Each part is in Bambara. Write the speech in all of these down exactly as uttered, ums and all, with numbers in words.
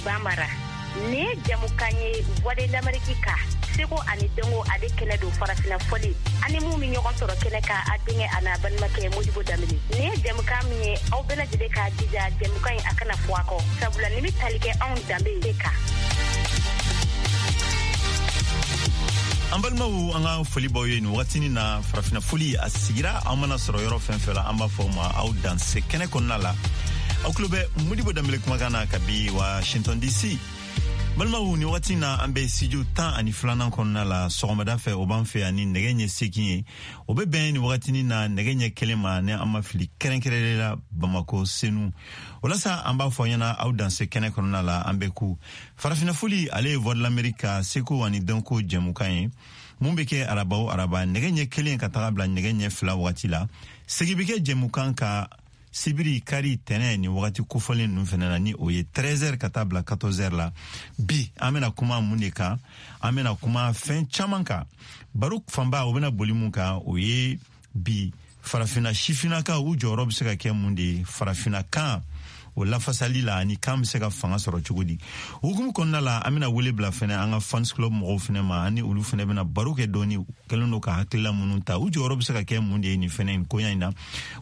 Bambara. Nin ye jamukan ye Voix de l'Amérique kan, seko ani dɔnko ale kɛnɛ don farafina fɔli ani mun bɛ ɲɔgɔn sɔrɔ kɛnɛ kan, a denkɛ a n'a balimakɛ Modibo Danbele. Nin ye jamukan min ye, aw bɛɛ lajɛlen k'a jija jamukan in a kana fɔ a kɔ, sabula nin bɛ tali kɛ anw danbe de kan. An balimaw, an ka foli b'aw ye nin wagatinin na. Farafina foli a sigira, an mana sɔrɔ yɔrɔ fɛn fɛn la, an b'a fɔ ma aw danse kɛnɛ kɔnɔna la. Aw tulo bɛ Modibo Danbele kumakan na kabi Washington D C. Balimaw, ni wagati na an bɛ studio tan ani filanan kɔnɔna la. Sɔgɔmada fɛ, o b'an fɛ yan ni nɛgɛ ɲɛ seegin ye, o bɛ bɛn ni wagatinin na nɛgɛ ɲɛ kelen ma, ni an ma fili, kɛrɛnkɛrɛnnen la Bamako Senu. O la sa, an b'a fɔ ɲɛna aw danse kɛnɛ kɔnɔna la. An bɛ ku farafina foli, ale ye Voix de l'Amérique ka seko ani dɔnko jɛmukan ye mun bɛ kɛ araba o araba nɛgɛ ɲɛ kelen ka taga bila nɛgɛ ɲɛ fila wagati la. Segin bɛ kɛ jɛmukan ka sibiri, kari, tɛnɛ ni wagati kofɔlen ninnu fɛnɛ na, ni o ye treize heures ka taa bila quatorze heures la. Bi an bɛna kuma mun de kan? An bɛna kuma fɛn caman kan. Baro fanba o bɛna boli mun kan, o ye bi farafina sifinnakaw u jɔyɔrɔ bɛ se ka kɛ mun de ye farafina kan o lafasali la, ani kan bɛ se ka fanga sɔrɔ cogo di. Hukumu kɔnɔna la, an bɛna wele bila fɛnɛ an ka fans club mɔgɔw fɛnɛ ma, ani olu fɛnɛ bɛna baro kɛ dɔɔni. Kɛlen don ka hakilila minnu ta, u jɔyɔrɔ bɛ se ka kɛ mun de ye nin fɛnɛ nin koɲa in na,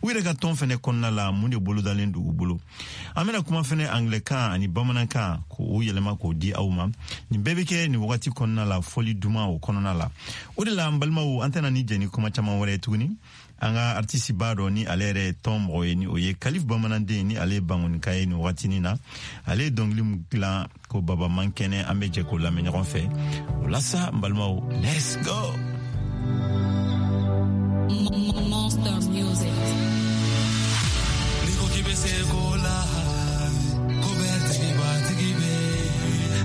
u yɛrɛ ka tɔn fɛnɛ kɔnɔna la, mun de bolodalen don u bolo. An bɛna kuma fɛnɛ anglɛkan ani bamanankan k'o yɛlɛma k'o di aw ma. Nin bɛɛ bɛ kɛ nin wagati kɔnɔna la, fɔli duman o kɔnɔna la. O de la, an balimaw, an tɛna ni jɛ ni kuma caman wɛrɛ ye tuguni. An ka artiste ba dɔ, ni ale yɛrɛ ye tɔn mɔgɔ ye, ni o ye Kalif Bamananden, ni ale ye Bangonika ye nin wagatinin na, ale ye dɔnkili min dilan ko Baba man kɛnɛ, an bɛ jɛ k'o lamɛn ɲɔgɔn fɛ. O la sa, n balimaw, let's go. Monster Music. Ni ko k'i bɛ se ko la, ko bɛɛ tigi b'a tigi bɛ.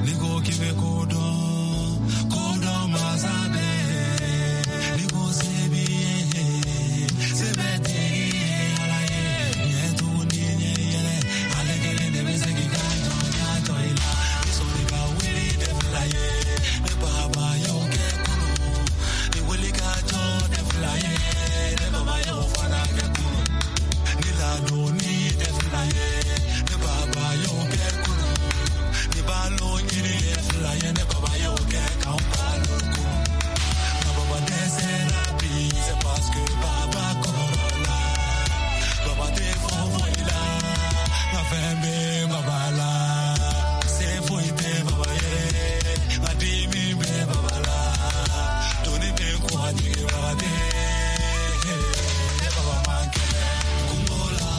Ni ko k'i bɛ ko dɔn, ko dɔn masa bɛ. Ni ko se b'i ye, se bɛ tigi ye Ala ye. Ɲɛ tugun ni ɲɛ yɛlɛ, ale kelen de bɛ se k'i ka jɔnya jɔ i la. Ni sɔnni ka wuli tɛ fila ye, ne baba y'o kɛ kunun. Ni wuli ka jɔ tɛ fila ye, ne baba y'o fana kɛ kunun. Ni ladonni tɛ fila ye, ne baba y'o kɛ kunun. Ni balo ɲini tɛ fila ye, ne baba y'o kɛ k'anw balo kunun. Nka baba dɛsɛra bi, c'est parce que baba kɔrɔla. Baba tɛ foyi la, nka fɛn bɛ baba la. Se foyi tɛ baba ye, nka dimi bɛ baba la. Doni bɛ kun a jigibaga tɛ, ne baba man kɛnɛ. Kungo la,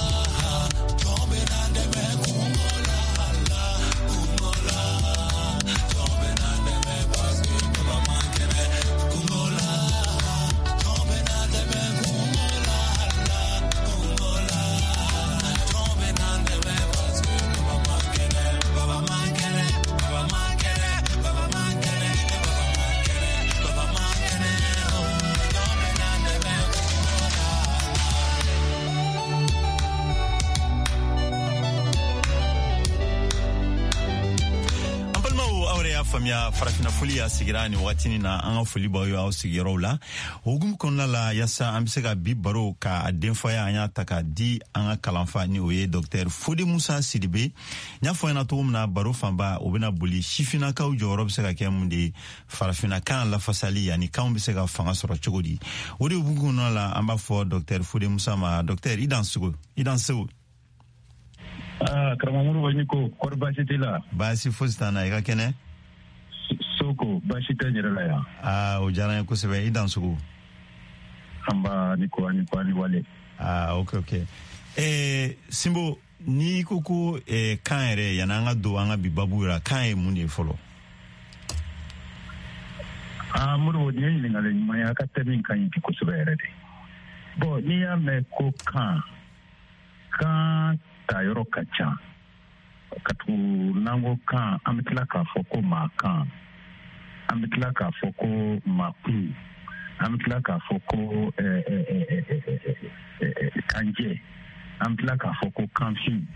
jɔn bɛ n'an dɛmɛ kungo la, la kungo la. Jɔn bɛ n'an dɛmɛ parce que baba man kɛnɛ. Kungo la, jɔn bɛ n'an dɛmɛ kungo la, la kungo la. Jɔn bɛ n'an dɛmɛ parce que baba man kɛnɛ. Baba man kɛnɛ, baba man kɛnɛ, baba man kɛnɛ, baba man kɛnɛ, baba man kɛnɛ. Oh, jɔn bɛ n'an dɛmɛ kungo la. An balimaw, aw yɛrɛ y'a faamuya, farafina foli y'a sigira nin wagatinin na. An ka foli b'aw ye aw sigiyɔrɔw la. O hukumu kɔnɔna la, yaasa an bɛ se ka bi baro ka denfaya, an y'a ta k'a di an ka kalanfa, ni o ye docteur Fode Musa Sidibe. N y'a fɔ ɲɛna cogo min na, baro fanba o bɛna boli sifinnakaw jɔyɔrɔ bɛ se ka kɛ mun de ye farafina kan lafasali, ani kanw bɛ se ka fanga sɔrɔ cogo di. O de hukumu kɔnɔna la, an b'a fɔ docteur Fode Musa ma: docteur, i dan sugu, i dan segu. Ah, karamɔgɔ Modibo ni ko, kɔri baasi t'i la? Baasi fosi t'an na, i ka kɛnɛ? Soko, baasi tɛ n yɛrɛ la yan. Aa, o diyara n ye kosɛbɛ, i dan sugu. An ba ni ko, ani ko, ani wale. Ah, ok ok. Eh, Sinbo, n'i ko ko eh, kan yɛrɛ, yanni an ka don an ka bi babu la, kan ye mun de ye fɔlɔ? Ah, Modibo, nin ye ɲininkali ɲuman ye, a ka thème ka ɲi bi kosɛbɛ yɛrɛ de. Bon, n'i y'a mɛn ko kan, kan ta yɔrɔ ka ca. Ka tugu n'an ko kan, an bɛ tila k'a fɔ ko maa kan, an bɛ tila k'a fɔ ko maa kun, an bɛ tila k'a fɔ ko eh, eh, eh, eh, eh, eh, eh, kanjɛ, an bɛ tila k'a fɔ ko kanfin,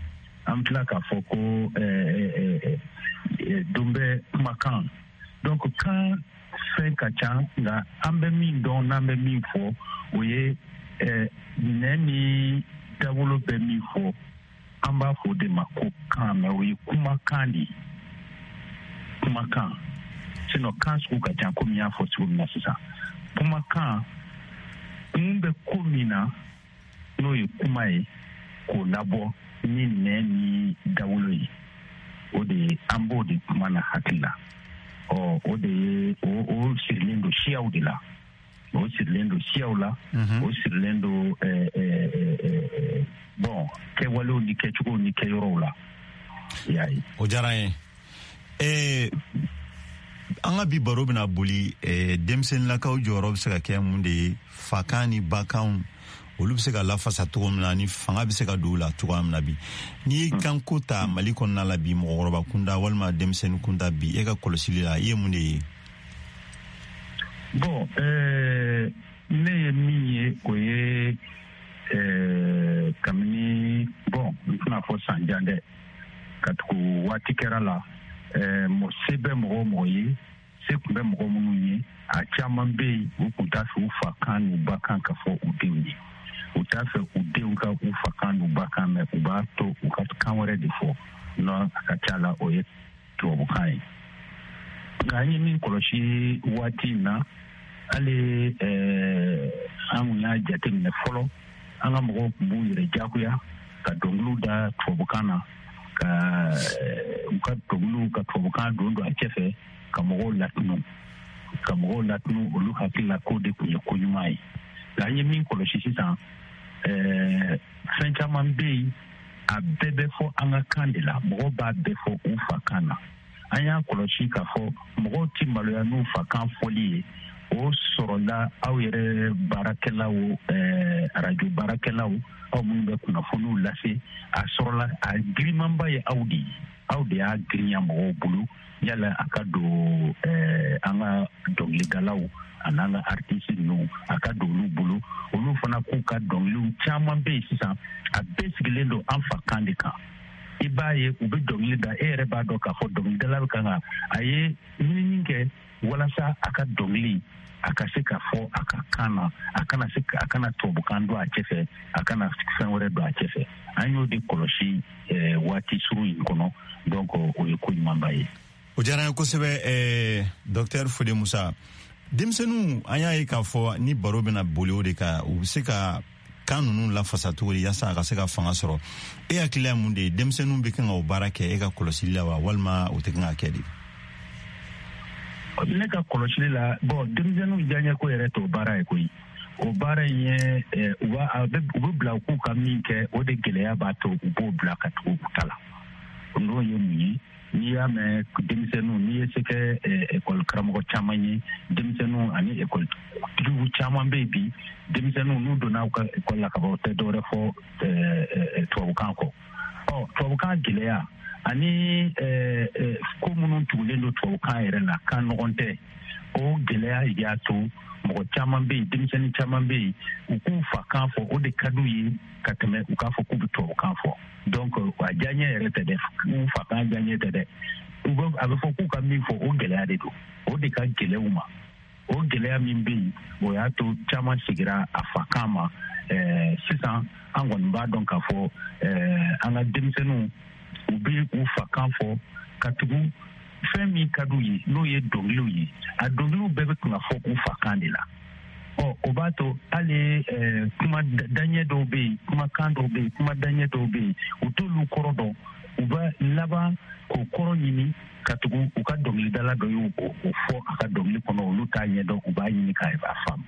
an bɛ tila k'a fɔ ko eh, eh, eh, eh, donbɛ kumakan. Donc kan fɛn ka ca, nka an bɛ min dɔn n'an bɛ min fɔ, o ye eh, nɛn ni dawolo bɛ min fɔ, an b'a fɔ o de ma ko kan, mɛ o ye kumakan de ye. kumakan, sinon kan sugu ka ca komi n y'a fɔ cogo min na sisan. Kumakan kun bɛ ko min na, n'o ye kuma ye k'o labɔ ni nɛn ni dawolo ye, o de ye an b'o de kuma na hakili la. Ɔ o de ye o o sirilen don siyaw de la, o sirilen don siyaw la, o sirilen don ɛɛ ɛɛ bon kɛwalew ni kɛcogow ni kɛyɔrɔw la. I y'a ye. O diyara n ye. Ɛɛ an ka bi baro bɛna boli denmisɛnninlakaw jɔyɔrɔ bɛ se ka kɛ mun de ye, fakan ni bakanw olu bɛ se ka lafasa cogo min na, ni fanga bɛ se ka don u la cogoya min na bi. N'i ye kanko ta Mali kɔnɔna la bi, mɔgɔkɔrɔba kunda walima denmisɛnnin kunda bi, e ka kɔlɔsili la, i ye mun de ye? Bon, euh, ne ye min ye, o ye euh, kabini, bon, n tɛna fɔ san jan dɛ, ka tugu waati kɛra la, euh, se bɛ mɔgɔ o mɔgɔ ye, se tun bɛ mɔgɔ minnu ye, a caman bɛ yen, u tun t'a fɛ u fa kan n'u ba kan ka fɔ u denw ye. U t'a fɛ u denw ka u fa kan n'u ba kan mɛn, u b'a to u ka kan wɛrɛ de fɔ, n'o a ka ca la o ye tubabukan ye. Nka an ye min kɔlɔsi waati in na, hali ɛɛ an kun y'a jateminɛ fɔlɔ, an ka mɔgɔw tun b'u yɛrɛ diyagoya ka dɔnkiliw da tubabukan na, ka u ka dɔnkiliw ka tubabukan don don a cɛfɛ, ka mɔgɔw latunu ka mɔgɔw latunu olu hakili la k'o de tun ye ko ɲuman ye. Nka an ye min kɔlɔsi sisan, ɛɛ fɛn caman bɛ yen, a bɛɛ bɛ fɔ an ka kan de la, mɔgɔw b'a bɛɛ fɔ u fa kan na. An y'a kɔlɔsi k'a fɔ mɔgɔw ti maloya n'u fa kan fɔli ye. O sɔrɔla aw yɛrɛ baarakɛlaw, ɛɛ arajo baarakɛlaw, aw minnu bɛ kunnafoniw lase, a sɔrɔla a girimanba ye aw de ye, aw de y'a girinya mɔgɔw bolo yala a ka don ɛɛ an ka dɔnkilidalaw an'an ka artiste ninnu, a ka don olu bolo. Olu fana k'u ka dɔnkiliw caman bɛ yen sisan, a bɛɛ sigilen don an fa kan de kan. I b'a ye u bɛ dɔnkili da, e yɛrɛ b'a dɔn k'a fɔ dɔnkilidala bɛ kan ka a ye ɲinini kɛ walasa a ka dɔnkili a ka se ka fɔ a ka kan na, a kana se a kana tubabukan don a cɛfɛ, a kana fɛn wɛrɛ don a cɛfɛ. An y'o de kɔlɔsi eh, waati surun in kɔnɔ, donc o ye ko ɲumanba ye. O diyara n ye kosɛbɛ, eh, docteur Fode Musa. Denmisɛnninw, an y'a ye k'a fɔ ni baro bɛna boli o de kan, u bɛ se ka kan ninnu lafasa cogo di yaasa a ka se ka fanga sɔrɔ? E hakilila ye mun de ye? Denmisɛnninw bɛ kan ka o baara kɛ e ka kɔlɔsili la wa, walima o tɛ kan ka kɛ de? Ne ka kɔlɔsili la, bon, denmisɛnninw diyaɲɛko yɛrɛ t'o baara ye koyi. O baara in ye, u b'a u bɛ bila u k'u ka min kɛ, o de gɛlɛya b'a to u b'o bila ka tugu u ta la. N'o ye mun ye? N'i y'a mɛn denmisɛnninw, n'i ye se kɛ ekɔli karamɔgɔ caman ye, denmisɛnninw ani ekɔlitigiw caman bɛ yen bi, denmisɛnninw n'u donna u ka ekɔli la ka ban, u tɛ dɔwɛrɛ fɔ tubabukan kɔ. Ɔ tubabukan gɛlɛya ani ko minnu tugulen don tubabukan yɛrɛ la, kan nɔgɔn tɛ, o gɛlɛya y'a to mɔgɔ caman bɛ yen, denmisɛnnin caman bɛ yen, u k'u fa kan fɔ, o de ka d'u ye ka tɛmɛ u k'a fɔ k'u bɛ tubabukan fɔ. Donc a diyaɲɛ yɛrɛ tɛ dɛ, u fa kan diyaɲɛ tɛ dɛ, u bɛ a bɛ fɔ k'u ka min fɔ, o gɛlɛya de don, o de ka gɛlɛn u ma. O gɛlɛya min bɛ yen, o y'a to caman sigira a fa kan ma. Ɛɛ sisan an kɔni b'a dɔn k'a fɔ ɛɛ an ka denmisɛnninw, u bɛ u fa kan fɔ ka tugu fɛn min ka d'u ye, n'o ye dɔnkiliw ye. A dɔnkiliw bɛɛ bɛ kan ka fɔ u fa kan de la. Ɔ o b'a to hali ɛɛ kuma daɲɛ dɔw bɛ yen, kumakan dɔw bɛ yen, kuma daɲɛ dɔw bɛ yen, u t'olu kɔrɔ dɔn, u bɛ laban k'o kɔrɔ ɲini ka tugu u ka dɔnkilidala dɔ y'o o fɔ a ka dɔnkili kɔnɔ, olu t'a ɲɛdɔn, u b'a ɲini k'a faamu.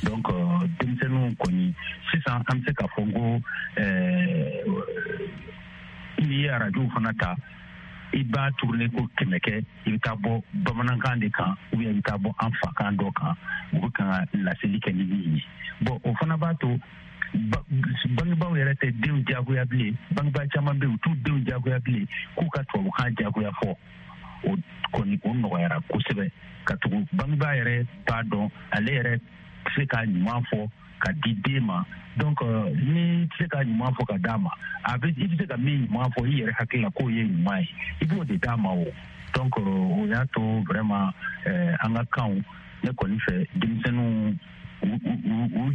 Donc denmisɛnninw kɔni sisan an bɛ se k'a fɔ ko ɛɛ n'i ye arajow fana ta, i b'a tourner ko kɛmɛ kɛ, i bɛ taa bɔ bamanankan de kan, ou bien i bɛ taa bɔ an fakan dɔ kan, u bɛ kan ka laseli kɛ ni min ye. Bon, o fana b'a to bangebaaw yɛrɛ tɛ denw diyagoya bilen. Bangebaa caman bɛ yen, u t'u denw diyagoya bilen k'u ka tubabukan diyagoya fɔ. O kɔni o nɔgɔyara kosɛbɛ, ka tugu bangebaa yɛrɛ b'a dɔn ale yɛrɛ tɛ se k'a ɲuman fɔ ka di den ma. Donc ni tɛ se k'a ɲuman fɔ ka d'a ma, a bɛ i bɛ se ka min ɲuman fɔ i yɛrɛ hakili la k'o ye ɲuman ye, i b'o de d'a ma o. Donc o y'a to vraiment an ka kanw, ne kɔni fɛ denmisɛnninw u u u